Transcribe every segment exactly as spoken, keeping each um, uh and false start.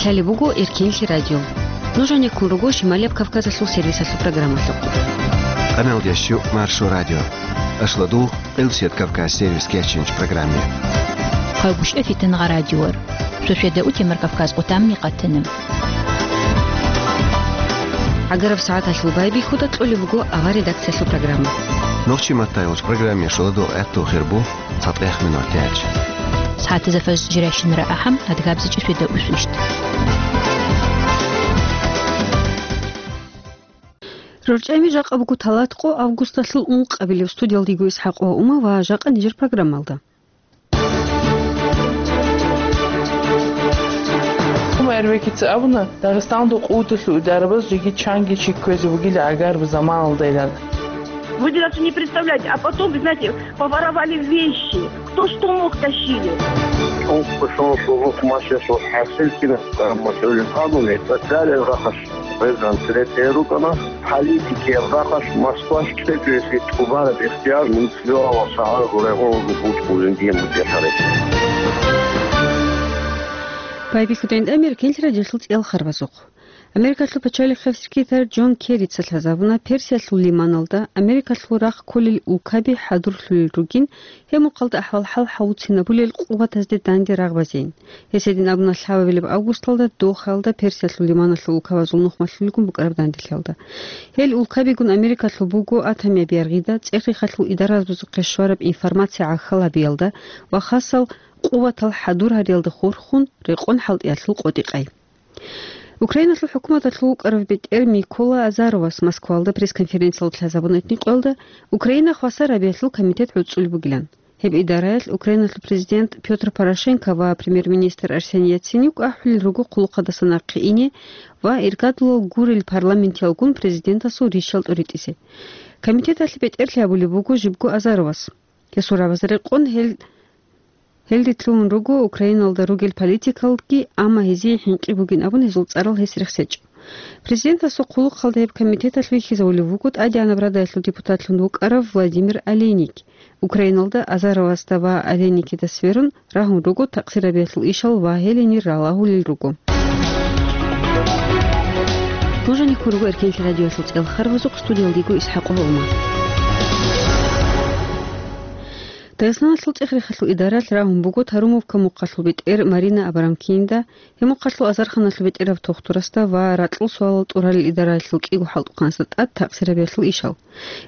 Гьале буго Эркенлъи радио. Нуж гьанеккун руго Шималияб Кавказалъул сервисалъул программалъухъ. Къаналдящу Маршо радио. Ашладу Къилсият Кавказ сервис кечинч программе. Хъагушев Фитангъа радиор. Сосведа утемар Кавказ къутамни къатана. ГӀагараб сагӀаталъул байбихьуда кьолеб буго авар редакциялъул программа. Нохчи маттайолч программе шоладо гӀатту хирбу цатӀех минутиялъ. СагӀатазда фажр жиращинара ахӀам, адгабзичӀи сосведа усущт. РорчӀами жакъа буго талат къо августалъул ункъабилеб. Студиялдиго ИсхӀакъ ва Ума ва жакъа нижер программалда. Умар Эрвекица абуна, Дагъистаналда къуваталъул идарабаз жеги чанги чи кквезе бугила гӀагараб заманалдайилан. Вы даже не представляете, а потом, вы знаете, поворовали вещи. Кто что мог, тащили. Шункъ-шункъ лугьухъ машеш ва хӀасил кинаб мацӀалил къабули, социалил рахаш гъезан цере тӀерукӀана, политикиял рахаш Москваш кьечӀеси тӀубараб ихтияр мунцибилавал шагьар гурегъун бучӀулин диен бутӀехъаре. Байбихьудин Эркенлъи радиолъул цӀел харбазухъ. Америкалъул пачалихъав секретарь Джон Керрица лъазабуна Персиялъул лиманалда Америкалъул рахъ кколел улкаби хӀадурлъулел ругин, гьеб мухъалда ахӀвал-хӀал гьавуцинабулел къуватазде данде рагъ базейин. Гьес гьедин абуна лъабабилеб августалда Дохаялда Персиялъул лиманалъул улкабазул нухмалъулелгун букӀараб данделъиялда. Гьел улкабигун Америкалъул буго атомияб яргъида, цӀех-рехалъул идаразухъе щвараб информация гӀахьал гьабиялда ва хасал къуватал хӀадур гьариялда хурхун рекъон хӀалтӀиялъул къотӀи-къай. Украиналъул хӀукуматалъул вукӀарав бетӀер Микола Азаровас Москвалда пресс-конференциялда лъазабуна гьитӀинаб къоялда Украина хвасар гьабиялъул комитет гӀуцӀулеб бугилан. Гьеб идараялъ Украиналъул президент Пётр Порошенко ва премьер-министр Арсений Яценюк ахӀулел руго хъулухъалдаса нахъе ине ва иргадулал гурел парламентиялгун президентасул рищал тӀуритӀизе. Комитеталъе бетӀерлъи гьабулеб буго жибго Азаровас. Гьесул рагӀабазда рекъон гьел Гьелде лъугьун руго Украиналда ругел политикалги, амма гьезие хӀинкъи бугин абун гьезул цӀарал гьес рехсечӀо. Президентасул хъулухъалда гьеб комитеталъ вихьизавулев вуго ТӀадегӀанаб Радаялъул депутатлъун вукӀарав Владимир Олейник. Украиналда Азаровасда ва Олейникида сверун рагьун руго такъсирабиялъул ишал ва гьел гьенир ралагьулел руго. Нуж гьанеккун руго Эркенлъи радиоялъул цӀел харбазухъ, студиялдиго ИсхӀакъ Гьолман. Дагъистаналъул цӀех-рехалъул идаралъ рагьун буго Тарумовка мухъалъул бетӀер Марина Абрамкинда, гьеб мухъалъул азарханалъул бетӀерав Тохтурасда ва ракьул суалал тӀуралел идараялъул кӀиго хӀалтӀухъанасда тӀад такъсирабиялъул ишал.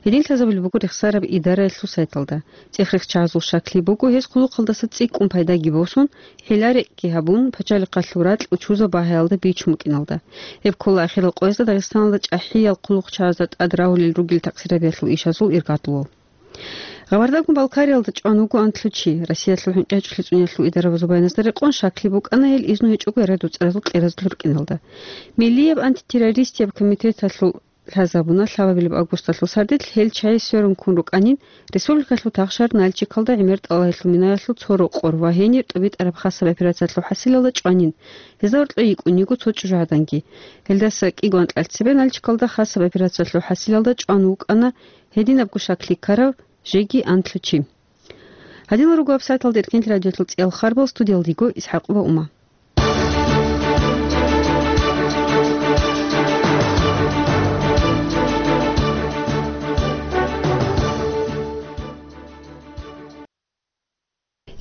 Гьедин лъазабулеб буго рехсараб идараялъул сайталда. ЦӀех-рехчагӀазул щаклъи буго, гьез хъулухъалдаса цӀикӀкӀун пайдаги босун, хӀила-рекӀкӀи гьабун, пачалихъалъул ракь учузаб багьаялда бичун букӀиналда. Гьеб ккола ахирал къоязда Дагъистаналда чӀахӀиял хъулухъчагӀазда тӀад рагьулел ругел такъсирабиялъул ишазул иргадулал. Гъабардагун Балкариялда чӀван вуго анлъу чи. Россиялъул хӀинкъи гьечӀолъи цӀуниялъул идарабазул баяназда рекъон щаклъи букӀана гьел изну гьечӀого гӀерад-уцӀразул кьеразулъ рукӀиналда. Миллияб антитеррористияб комитеталъул лъазабуна лъабабилеб августалъул сардилъ гьел чагӀи сверун ккун рукӀанин, республикалъул тахшар Нальчикалда гӀемер тӀалаб гьелъул минаялъул цо рокъор ва гьенир тӀубитӀараб хасаб операциялъул хӀасилалда чӀванин. Гьезда гьоркье йикӀун йиго цо чӀужугӀаданги. Гьелдаса кӀиго анкьал цебе Нальчикалда хасаб операциялъул хӀасилалда чӀван вукӀана гьединабго щаклъи ккарав жеги анлъу чи. Гьадинал руго вебсайталда Эркенлъи радиоялъул цӀел харбал, студиялдиго ИсхӀакъ ва Ума.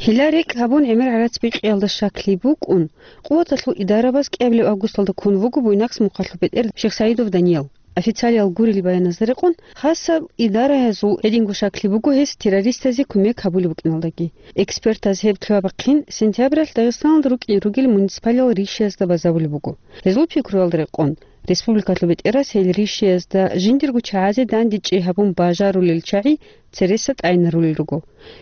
Хьила-рекӀ гьабун гӀемер гӀарац бикъиялда щаклъи букӀун, къуваталъул идарабаз кӀиабилеб августалда ккун вуго Буйнакск мухъалъул бетӀер Шихсаидов Даниял. Официалиял гурел баяназда рекъон, хасаб идараязул гьединго щаклъи буго гьес террористазе кумек гьабулеб букӀиналдаги. Экспертаз гьеб лъугьа-бахъин сентябралъ Дагъистаналда рукӀин ругел муниципалиял ришиязда базарулеб буго. Гьезул пикруялда рекъон, республикалъул бетӀерас гьел ришиязда жиндирго чагӀазе дандечӀей гьабун бажарулел чагӀи цереса тӀайнарулел руго.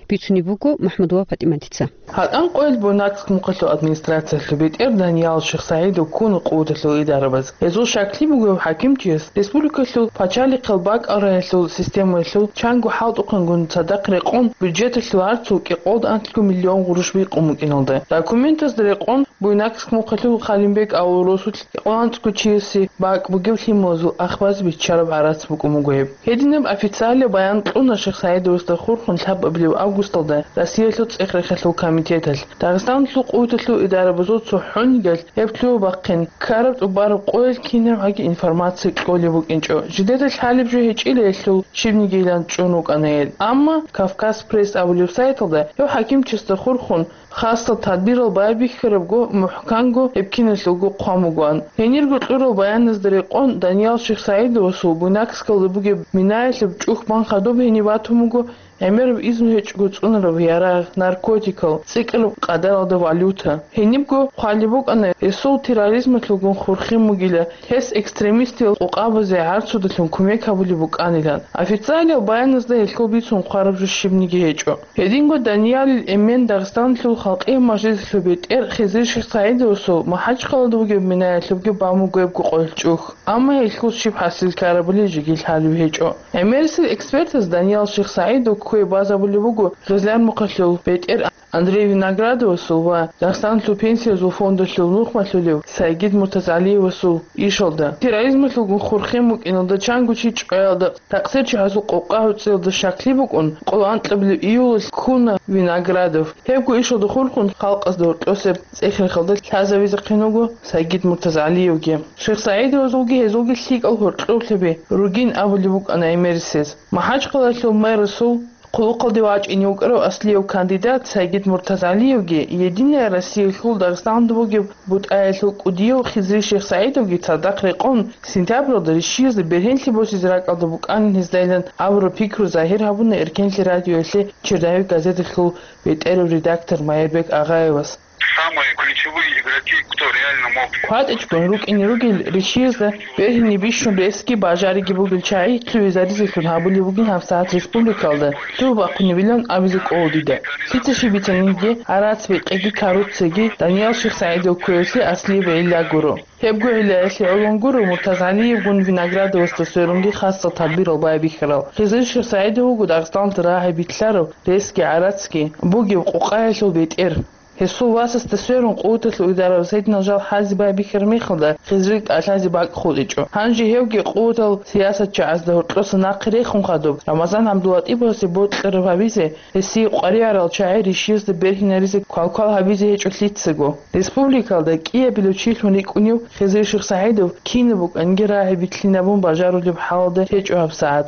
Бицунеб буго МахӀмудова ПатӀиматица. ГьатӀан къоялъ Буйнакск мухъалъул администрациялъул бетӀер Даниял Шихсаидов ккун къуваталъул идарабаз. Гьезул щаклъи буго гьев хӀакимчияс республикалъул пачалихъал бакӀал рагӀиялъул системаялъул чанго хӀалтӀухъангун цадахъ рекъон бюджеталъул гӀарцул кӀикъолда анлъго миллион гъурущ бикъун букӀиналда. Документазда рекъон Буйнакск мухъалъул Халимбек авул росулъ кӀикъоялда анцӀго чиясе бакӀ бугеб лъималазул ахбазе биччараб гӀарац букӀун буго гьеб. Гьединаб официалияб баян кьуна Саидовасда хурхун лъабабилеб августалда Россиялъул цӀех-рехалъул комитеталъ, Дагъистаналъул къуваталъул идарабазул цохӀонигал гьеб лъугьа-бахъин ккараб тӀубараб къоялъ кинабгӀаги информация кьолеб букӀинчӀо. Жидеда лъалеб жо гьечӀила гьелъул щибнигийилан чӀун рукӀана гьел. Амма Кавказ Пресс абулеб сайталда гьев хӀакимчиясда хурхун хасал тадбирал байбихьарабго, мухӀканго гьеб киналъулго хъван бугоан. Гьенирго кьурал баяназда рекъон, Даниял Шихсаидовасул Буйнакскалда бугеб минаялъуб чӀухь бан хадуб гьенив батун буго гӀемераб изну гьечӀого цӀунараб ярагъ, наркотикал, цӀикӀкӀараб къадаралда валюта. Гьенибго хъвалеб букӀана, гьесул терроризмалъулгун хурхин бугила, гьес экстремистиял къокъабазе гӀарцудалъун кумек гьабулеб букӀанилан. Официалиял баяназда гьелъул бицун хъвараб жо щибниги гьечӀо. Гьединго Даниялил эмен Дагъистаналъул халкъиял мажлисалъул бетӀер Хизри Шихсаидовасул МахӀачхъалада бугеб минаялъубги бан буго гьебго къоялъ чӀухь, амма гьелъул щиб хӀасил ккарабали жеги лъалеб гьечӀо. ГӀемерисел экспертаз Даниял Шихсаидов кквей базабулеб буго Гъезлярмухъалъул бетӀер Андрей Виноградовасул ва Дагъистаналъул пенсиязул фондалъул нухмалъулев Сайгид Муртазалиевасул ишалда. Терроризмалъулгун хурхин букӀиналда чанго чи чӀваялда, такъсирчи гьазул къокъа гӀуцӀиялда щаклъи букӀун, къоло анкьабилеб июлалъ ккуна Виноградов. Гьебго ишалда хурхун халкъазда гьоркьосеб цӀех-рехалда лъазабизехъин вуго Сайгид Муртазалиевги. Шихсаидовазулги гьезулги лъикӀал гьоркьоблъаби ругин абулеб букӀана гӀемерисез. МахӀачхъалалъул мэрасул хъулухъалде вачӀине вукӀарав аслияв кандидат Сайгид Муртазалиевги, Единая Россиялъул Дагъистаналда бугеб бутӀаялъул кӀудияв Хизри Шихсаидовги цадахъ рекъон, сентябралда рищиязда бергьенлъи босизе ракӀалда букӀанин гьездайилан абураб пикру загьир гьабуна Эркенлъи радиоялъе «Черновик» газеталъул бетӀерав редактор Майрбек Агъаевас. Самые ключевые игроки, кто реально мог. КватӀичӀгун рукӀине ругел рищиязда бергьине бищун ресги бажариги бугел чагӀи лъугӀизаризелъун гьабулеб бугин гьабсагӀат республикалда лъугьа-бахъунебилан абизе кӀола дида. Лъица щиб бицаниги, гӀарац-бекъиги коррупцияги Даниял Шихсаидов кквеялъе аслияб гӀилла гуро. Гьебго гӀиллаялъе гӀолон гуро Муртазалиевгун Виноградовасда сверунги хасал тадбирал байбихьарал. Хизри Шихсаидов вуго Дагъистаналда рагӀи битӀараб, ресги гӀарацги бугеб къокъаялъул бетӀер. Гьесул васасда сверун къуваталъул идарабаз гьединал жал хӀазе байбихьараб мехалда, Хизрил тӀалъазе бакӀ хутӀичӀо. Гьанже гьевги къуватал сиясатчагӀазда гьоркьоса нахъе рехун хадуб, Рамазан ГӀабдулатӀиповасе бокьараб гьабизе, гьесие къваригӀарал чагӀи рищиязда бергьинаризе квалквал гьабизе гьечӀо лъицаго. Республикалда кӀиабилев чилъун рикӀкӀунев Хизри Шихсагьидов кинаб букӀанги рагӀи битлъинабун бажарулеб хӀалалда гьечӀо гьабсагӀат.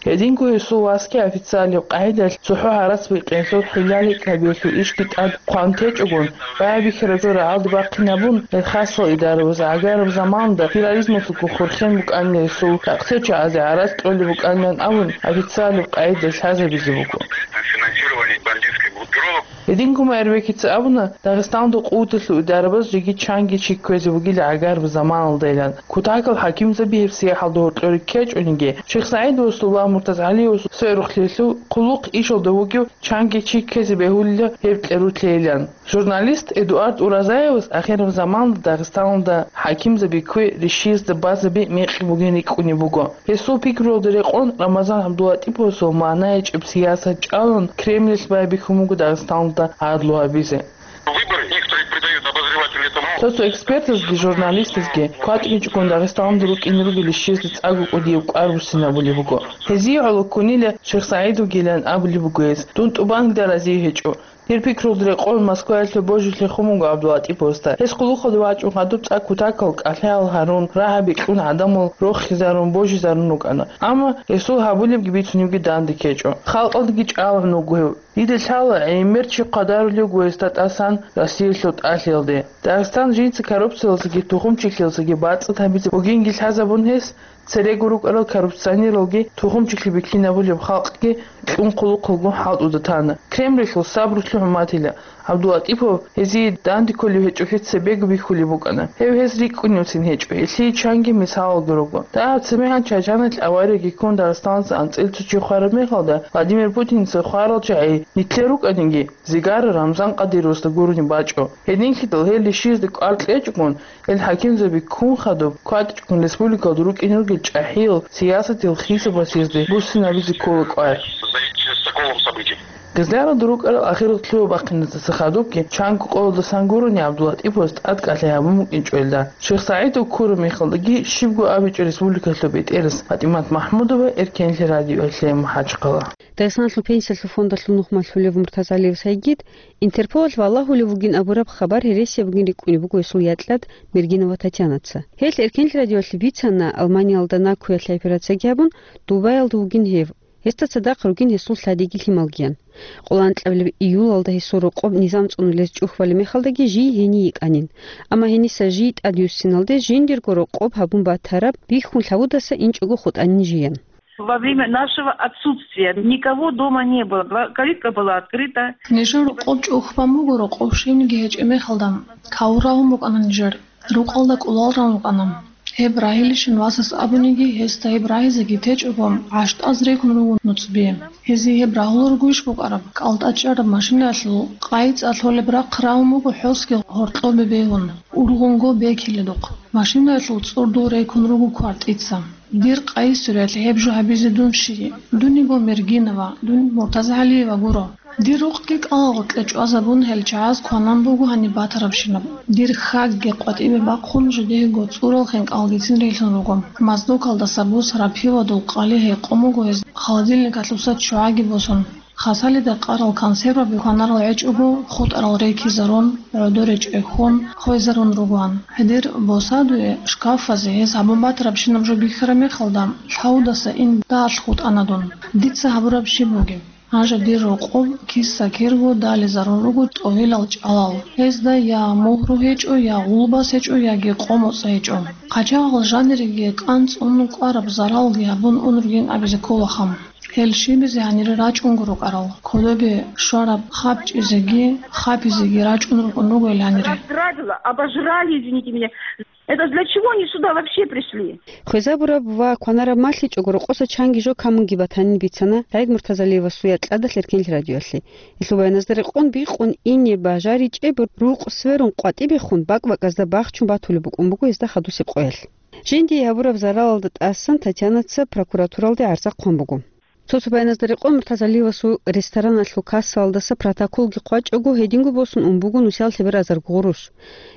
Гьединго гьесул васги официалияб къагӀидалъ цохӀо гӀарац бикъиялъул хӀилла-рикӀкӀабиялъул ишги тӀад хъван течӀогун, байбихьараб жо рагӀалде бахъинабун, гьеб хасал идарабаз гӀагараб заманалда терроризмалъулгун хурхен букӀанила гьесул, такъсирчагӀазе гӀарац кьолеб букӀанилан абун, официалияб къагӀидаялъ лъазабизе буго. Финансирование бандитских группировок. Гьединго Майрбекица абуна, Дагъистаналда къуваталъул идарабаз жеги чанги чи кквезе бугила гӀагараб заманалдайилан. Кутакал хӀакимзаби гьеб сияхӀалда гьоркьоре ккечӀониги, Шихсагьидовасул ва Муртазгьалиевасул сверухълъиялъул хъулухъ ишалда вугев чанги чи ккезе бегьулила гьеб кьерутлъейилан. Журналист Эдуард Уразаевас ахираб заманалда Дагъистаналда хӀакимзаби кквей рищиязда базаби мекъи бугин рикӀкӀунеб буго. Гьесул пикруялда рекъон, Рамазан ГӀабдулатӀиповасул магӀна гьечӀеб сиясат чӀалун, Кремльалъ байбихьун буго Дагъистаналда гӀадлу гьабизе. Выборы некоторые придают обозреватели этому. Цо-цо экспертазги журналистазги кватӀичӀогун Дагъистаналда рукӀине ругел рищиязда цӀакъго кӀудияб кӀвар буссинабулеб буго. Гьезие гӀоло ккунила Шихсагьидовгилан абулеб буго гьез, дун тӀубанила разие гьечӀо. Гьеб пикруялда рекъон Москваялъул божилъи хъун буго ГӀабдулатӀиповасда. Гьес хъулухъалде вачӀун хадуб цӀакъ кутакал кӀалъаялъ гьарун, рагӀаби кьун гӀадамал рохизарун, божизарун рукӀана. Амма гьесул гьабулебги бицунебги данде ккечӀо. Халкъалдаги чӀалгӀун вуго гьев. Дида лъала, гӀемер чи хъвадарулев вуго гьесда тӀасан Россиялъул тӀалъиялде. Дагъистан жинца коррупциялдасаги тухумчилъиялдасаги бацӀцӀад гьабизе бугинги лъазабун гьес, церего рукӀарал коррупционералги тухумчилъи бихьинабулеб халкъги кьун хъулухъалгун хӀалтӀуда тана. Кремльалъул сабрулъ хӀурматила, ГӀабдулатӀипов гьезие данде кколев гьечӀолъи цебего бихьулеб букӀана. Гьев гьез рикӀкӀуневцин гьечӀо, гьелъие чанги мисалалги руго. Дагьаб цебегӀан Чачаналъ аварияги ккун Дагъистаналъа анцӀила цо чи хвараб мехалда, Владимир Путинца хварал чагӀи нилъер рукӀаниги, Зигара Рамзан Къадировасда гурони бачӀо. Гьединлъидал гьел рищиязда кӀвар кьечӀогун, гьел хӀакимзаби ккун хадуб, кватӀичӀгун республикалда рукӀине ругел чӀахӀиял сиясатиял хисабалъ гьезда буссинабизе ккола кӀвар. Гъезляралда рукӀарал ахирал лъугьа-бахъиназда хадубги чанго къоялдасан гурони ГӀабдулатӀиповас тӀадкӀалъи гьабун букӀинчӀо гьелда. Шихсагьидов ккураб мехалдаги щибго абичӀо республикалъул бетӀерас ПатӀимат МахӀмудова, Эркенлъи радиоялъе МахӀачхъала. Дагъистаналъул пенсиялъул фондалъул нухмалъулев Муртазалиев Сайгид Интерполалъ валагьулев вугин абураб хабар гьересияб бугин рикӀкӀунеб буго гьесул якьад Мергинова Татьянаца. Гьел Эркенлъи радиоялъе бицана, Алманиялда накуялъе операцияги гьабун, Дубаялда вугин гьев. Гьесда цадахъ ругин гьесул лъадиги лъималгиян. Къоло анкьабилеб июлалда гьесул рокъоб низам цӀунулез чӀухь балеб мехалдаги жий гьение йикӀанин. Амма гьениса жий тӀадвуссиналде жиндирго рокъоб гьабун батараб бихьун лъавудаса инчӀого хутӀанин жиян. Во время нашего отсутствия никого дома не было. Два- Калитка была открыта. Нижер рокъоб чӀухь бан буго, рокъоб щибниги гьечӀеб мехалда. Кавур рагьун букӀана нижер. Рукъалда кӀулал ран рукӀана. Гьеб рагьилищин васас абуниги, гьесда гьеб рагьизеги течӀого, гӀащтӀаз рекун руго нуцӀби. Гьезие гьеб рагьулел ругойищ букӀараб? КӀалтӀа чӀараб машинаялъул къайи цӀа лъолеб рахъ рагьун буго хӀосги гьоркьобе бегьун, ургъунго бекиледухъ. Машинаялъул цӀурдул рекун руго квартица. Дир къайи суриялъ гьеб жо гьабизе дун щий? Дун йиго Мергинова, дун Муртазагьалиева гуро. Дир рукъги кӀалагъоркье чӀвазабун, гьел чагӀаз кванан буго гьаниб батарабщинаб. Дир хьагги къватӀибе бахъун, жидего цӀурал хинкӀалгицин релълъун руго. Маздокалдаса бусараб пивадул къали гьекъон буго гьез, холодильникалъуса ччугӀаги босун. Хасалида къарал консерваби кванарал гьечӀого, хутӀарал рекизарун, гӀодоре чӀехьон, хвезарун ругоан. Гьедер босадуе, шкафазе гьез гьабун батарабщинаб жо бихьараб мехалда, лъавудаса ин дагьалъ хутӀана дун. Дица гьабураб щиб бугеб? Гьанже дир рокъоб киса-кирго дализарун руго тӀовилал чӀалал. Гьезда я мугьру гьечӀо, я гъулбас гьечӀо, яги къо-моцӀ гьечӀо. Къачагъал жаниреги кӀанцӀун кӀвараб заралги гьабун ун ругин абизе кколаха. Гьел щибизе гьанире рачӀунго рукӀарал, кодобе щвараб хапчӀизеги хапизеги рачӀун рукӀун руго гьел гьанире. Разграбила, обожрали, извините меня. Это для чего они сюда вообще пришли? Хвезабураб ва кванараб малъичӀого рокъоса чанги жо камунги батанин бицана СагӀид Муртазалиевасул якьадалъ Эркенлъи радиоялъе. Гьелъул баяназда рекъон бикъун ине бажаричӀеб рукъ сверун къватӀибехун бакӀ-бакӀазда бахчун батулеб букӀун буго гьезда хадусеб къоялъ. Жиндие гьабураб заралалда тӀасан Татьянаца прокуратуралде гӀарза хъван буго. Цо-цо баяназда рекъон Муртазалиевасул рестораналъул кассалдаса протоколги хъвачӀого, гьединго босун ун буго нусиял лъеберазарго гъурущ.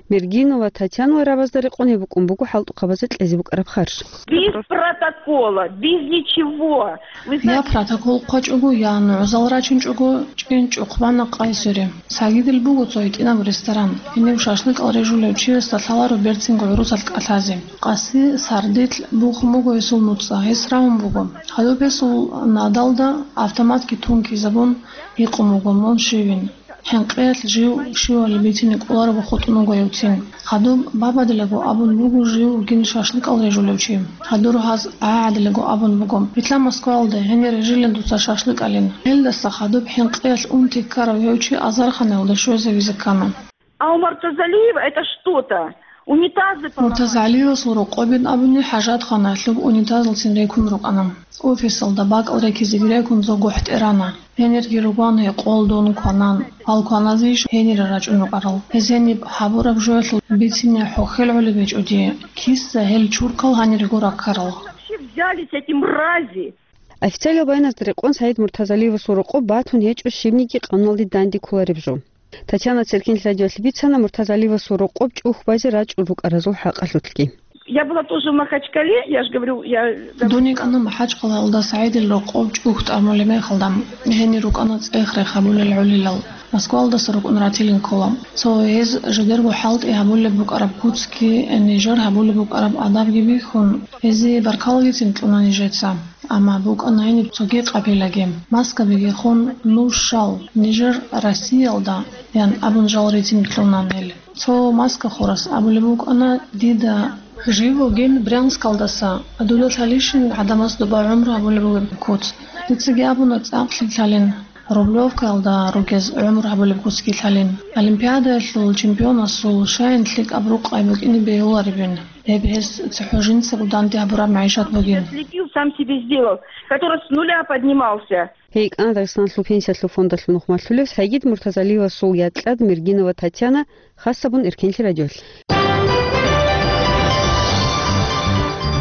Мергинова Татьянал рабазда рекъон гьеб букӀун буго хӀалтӀухъабазе кьезе букӀараб харж. Без протокола, без ничего. Вы Я знаете, протокол хъвачӀого, я нугӀзал рачунчӀого, чӀинчӀухъ бана къайсуре. Сагидил буго цо гьитӀинаб ресторан. Гьенив шашлыкъал режулев чиясда лъаларо берцинго гӀурусалъ кӀалъазе. Къаси сардилъ бухун буго гьесул нуцӀа, гьес рагьун буго. Гьадуб гьесул надалда автоматги тункизабун гьикъун буго: «Мун щивин?» ХӀинкъиялъ жив щивали бицине кӀоларого хутӀун вуго гьевцин. Гьадуб бабадилаго абун буго жив вугин шашлыкъал режулев чи. Гьадур гьаз гӀагӀадилаго абун буго: «Битла Москваялда, гьенир режилин дуца шашлыкъалин». Гьелдаса хадуб хӀинкъиялъ унти ккарав гьев чи азарханаялда щвезавизе ккана. А у Муртазалиева это что-то. Унитазы поломали. Муртазалиевасул рокъобин абуни хӀажатханаялъуб унитазалцин рекун рукӀана. Офисалда бакӀал рекизеги рекун цо гохӀтӀерана. Гьенирги ругоан гьекъолдун кванан. Гьал кваназейищ гьенире рачӀун рукӀарал? Гьез гьениб гьабураб жоялъул бицине хӀухьел гӀолеб гьечӀо дие. Киса гьел чуркал гьанирего раккарал? Вообще взялись эти мрази? Официалиял баяназда рекъон СагӀид Муртазалиевасул рокъоб батун гьечӀо щибниги къануналде данде кколареб жо. Татьяна Церкин радиоялъе бицана Муртазалиевасул рокъоб чӀухь базе рачӀун рукӀаразул хӀакъалъулъги. Я была тоже в Махачкале, я ж говорю, я... Дун йикӀана МахӀачкъалаялда СагӀидил рокъоб чӀухь тӀамулеб мехалда, гьенир рукӀана цӀех-рех гьабулел гӀолилал. Москваялдаса рукӀун ратилин ккола. Цо гьез жидерго хӀалтӀи гьабулеб букӀараб куцги, нижер гьабулеб букӀараб адабги бихьун, гьезие баркалагицин кьуна нижеца. Амма букӀана гьениб цоги къабилаги. Маскабиги хун, нуж щал, нижер Россиялда, ян абун жал ритин кьуна гьел. Цо маскахурас абулеб букӀана дида: «Жив вугин Брянскалдаса, дуда лъалищин гӀадамаз доба гӀумру гьабулеб бугеб куц?» Дицаги абуна цӀакълъи лъалин, Рублевкаялда ругез гӀумру гьабулеб куцги лъалин. Олимпиадаялъул чемпионасул щайин лъикӀаб рукъай букӀине бегьуларебин. Гьеб гьес цохӀо жинцаго данде гьабураб магӀишат бугин. Следил, сам себе сделал, который с нуля поднимался. Гьей йикӀана Дагъистаналъул пенсиялъул фондалъул нухмалъулев СагӀид Муртазалиевасул якьад Мергинова Татьяна, хасабун Эркенлъи радиоялъ.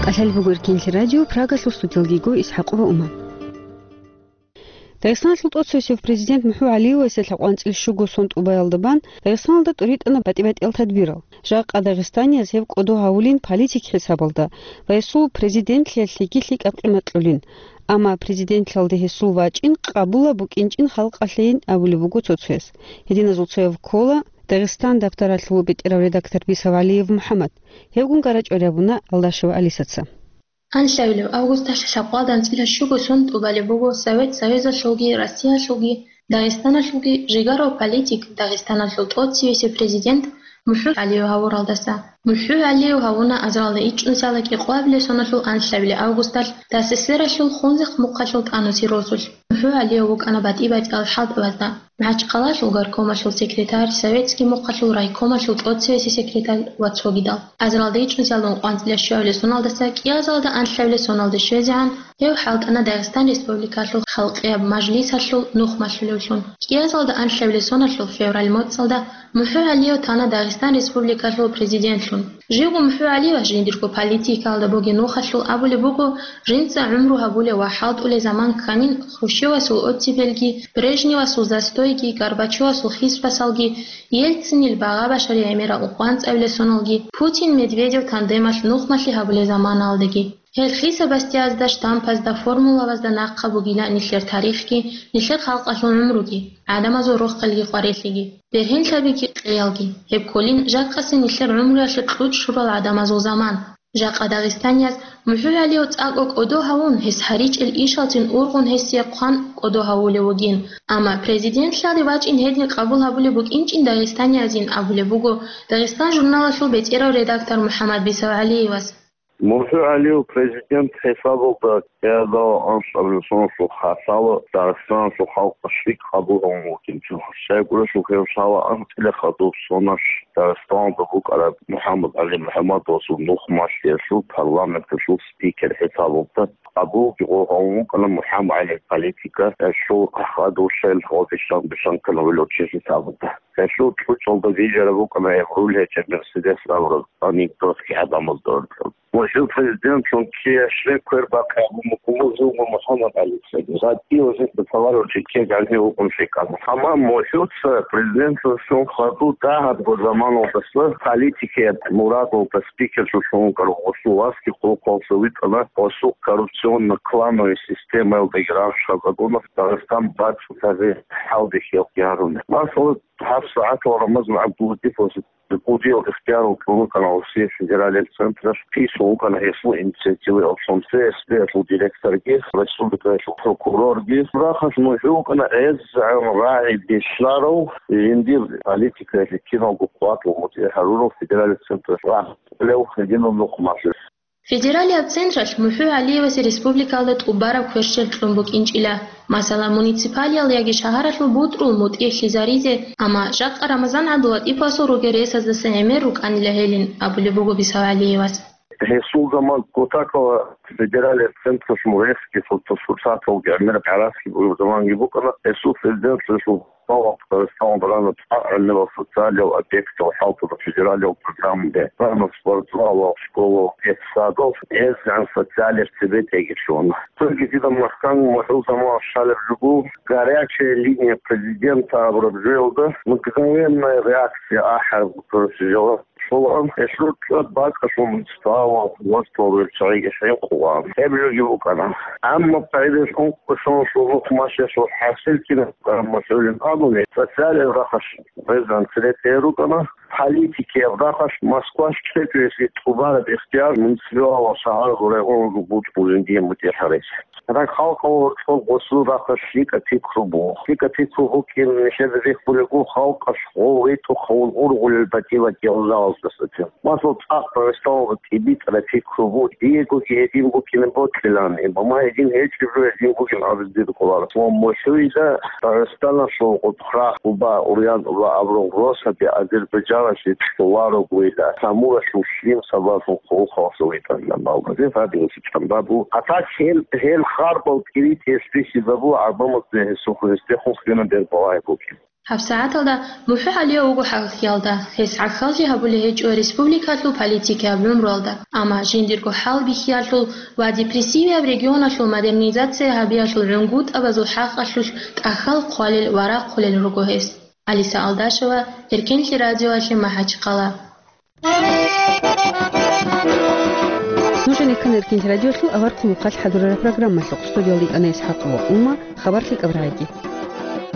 КӀалъалеб буго Эркенлъи радио, Прагалъул студиялги йиго ИсхӀакъова Ума. Дагъистаналъул тӀоцевесев президент МухӀу ГӀалиевасе лъабкъоялда анцӀила щуго сон тӀубаялда бан Дагъистаналда тӀуритӀана батӀи-батӀиял тадбирал. Жакъа дагъистанияз гьеб кӀодо гьавулин политик хӀисабалда ва гьесул президентлъиялъеги лъикӀаб къимат кьолин. Амма президентлъиялде гьесул вачӀин къабулаб букӀинчӀин халкъалъейин абулеб буго цо-цояс. Гьединазул цояв ккола Дагъистан дабтаралъул бетӀерав редактор Бисав ГӀалиев МухӀаммад. Гьевгун гара чӀвари абуна Алдашева Алисаца. Анлъабилеб августалъ лъабкъоялда анцӀила щуго сон тӀубалеб буго Совет Союзалъулги Россиялъулги Дагъистаналъулги жигарав политик, Дагъистаналъул тӀоцевесев президент МухӀу ГӀалиев гьавуралдаса. МухӀу ГӀалиев гьавуна азаралда ичӀнусиялда кӀикъоялда соналъул анлъабилеб августалъ ДССР-алъул Хунзихъ мухъалъул тӀанусел росулъ. МухӀу ГӀалиев вукӀана батӀи-батӀиял хӀалтӀабазда: МахӀачхъалаялъул горкомалъул секретарь, советский мухъалъул райкомалъул тӀоцевесев секретарь ва цогидал. Азаралда ичӀнусиялда ункъоялда анцӀила щуабилеб соналдаса кӀиазалда анлъабилеб соналде щвезегӀан гьев хӀалтӀана Дагъистан Республикалъул халкъияб мажлисалъул нухмалъулевлъун. КӀиазалда анлъабилеб соналъул февраль моцӀалда МухӀу ГӀалиев тана Дагъистан Республикалъул президентлъун. Живго МухӀу ГӀалиевас жиндирго политикаялда бугеб нухалъул абулеб буго, жинца гӀумру гьабулев ва хӀалтӀулев заман кканин Хрущевасул оттепельги, Брежневасул застойги, Горбачевасул хисбасалги, Ельцинил багъа-башари гӀемераб ункъоялда анцӀабилеб соналги, Путин-Медведев тандемалъ нухмалъи гьабулеб заманалдаги. Гьел хисабасдиязда, штампазда, формулабазда нахъа бугила нилъер тарихги, нилъер халкъалъул гӀумруги, гӀадамазул рохелги къварилъиги, бергьенлъабиги къеялги. Гьеб кколин жакъасеб нилъер гӀумруялъе кьучӀ лъурал гӀадамазул заман. Жакъа дагъистанияз МухӀу ГӀалиев цӀакъго кӀодо гьавун, гьес гьаричӀел ишалцин ургъун гьесие хъван кӀодо гьавулев вугин. Амма президентлъиялде вачӀин гьедин къабул гьабулеб букӀинчӀин дагъистаниязин абулеб буго Дагъистан журналалъул бетӀерав редактор МухӀаммад Бисав ГӀалиевас. МухӀу ГӀалиев президент хӀисабалда кӀиазда анлъабилеб соналъул хасало Дагъистаналъул халкъалъ лъикӀ къабул гьавун вукӀинчӀо. Щайгурелъул гьев лъала анцӀила хадуб соналъ Дагъистаналда букӀараб МухӀаммад ГӀали МухӀаммадовасул нухмалъиялъул парламенталъул спикер хӀисабалда, къабулги гьев гьавун вукӀана МухӀаммад ГӀалиев политика, гьелъул хадур шел гьодилан бицан ккана вилучи хӀисабалда. Гьелъул чӀучӀалда бижараб букӀана гьеб руль гьечӀеб Мерседес абураб анекдот гӀадамазда уркьаб. Ва жив президентлъун кияшлъе квер бахъи абун букӀун буго МухӀаммад ГӀалица. ГъатӀи ва жинца товарищ ккеги гӀанив вукӀун лъикӀал. Амма МухӀуца президентлъун хадуб дагьабго заманалдаса политикияб мурадалда спикерлъун вукӀарав гъосул васги хъулухъалъа витӀана, гъосул коррупционно-клановый системаялдаги рагъ щвезабуна, Дагъистан бацӀцӀадаб хӀалде хӀалтӀи гьаруна. Масала, гьабсагӀатал Рамазан ГӀабдуллатиповас кӀудиял ихтияр кьун вукӀана Россия федералияб централъ, писун вукӀана гьесул инициативаялъун, ФСБ-ялъул директорги, республикаялъул прокурорги. Рахъалъ МухӀу вукӀана гӀезегӀан рагӀи бихьарав, жиндир политикаялъе киналго къватӀун мутӀигӀ гьарурав федералияб централъ рагьулев гьединав нухмалъи. Федералияб централъ МухӀу ГӀалиевасе республикалда тӀубараб кверщел кьун букӀинчӀила, масала, муниципалиял яги шагьаралъул бутӀрул мутӀигӀлъизаризе, амма жакъа Рамазан ГӀабдуллатиповасул ругел ресаздаса гӀемер рукӀанила гьелин, абулеб буго Бисав ГӀалиевас. Гьесул заман кутакала федералияб централъ муресги, суртасурсаталги гӀемер гӀараски бугеб заманги букӀана, гьесул президентлъиялъул Дагъистаналда рана цӀакъ гӀемерал социалиял объектал хӀалтӀула федералиял программаби, рана спортзалал, школал, детсадал, гӀезегӀан социалияб цебетӀеги щвана. Цоги дида Москваялъ МухӀул заманалъ щалеб жо буго, «Горячая линия президента» абураб жоялда «Мгновенная реакция» ахӀараб, короче, жоялда щолаан, гьелъул цӀад бакӀалъул муниципалал гьоркьор веб-сайт гьенкъуан. Гьеб жоги букӀана. Амма пайдалъун кӀушун шулухъ машгьалъул хӀасил кинаб букӀараб МухӀулин абуни, социалияб рахъалъ гьезда анцӀила тӀе рукӀана, политикияб рахъалъ Москвалъ чӀечӀоясги тӀубараб ихтияр муниципалал шагьаралъул районазул бутӀрулин дие мутӀигӀ гьаризе. Рагъ халкъалъул гьоркьоб гъосул рахъалъ лъикӀаб пикру буго. ЛъикӀаб пикру букӀин нилъеда рихьулеб буго халкъалъ гъов ветӀухъ гьавун ургъулел батӀи-батӀиял жалаздасаги. Масала, цӀакъ Дагъистаналда тӀибитӀараб пикру буго, диегоги гьедин букӀине бокьилан, амма гьедин гьечӀеб жо гьедин бугин абизе дир кӀоларо. Ва МухӀуида Дагъистаналъул Къутхра, Къуба, Урьян ва абурал росаби Азербайджаналъе кьоларогойила, Самуралъул лъим сабаблъун хъулухъалъа витӀарила балгъазе гьабиялъе чӀамбабу. А так гьел, гьел харбал кӀиритӀе списибабу гӀадамазда гьесухъ гьесдехун хьуна бербалай бугин. ГьабсагӀаталда МухӀагӀалиев вуго гӀахьалда, гьес гӀахьаллъи гьабулеб гьечӀо республикалъул политикияб гӀумруялда, амма жиндирго хӀалбихьиялъул ва депрессияб регионалъул модернизация гьабиялъул гӀунгутӀабазул хӀакъалъулъ тӀахьал хъвалел ва рахъулел руго гьес. Алиса Алдашева, Эркенлъи радиоялъе МахӀачхъала. Нуж гьанир ккана Эркенлъи радиолъул аварагасул хъалихъ хӀадурараб программалъухъ. Студиялда йикӀана ИсхӀакъ ва Ума. Хабар лъикӀаб рагӀаги.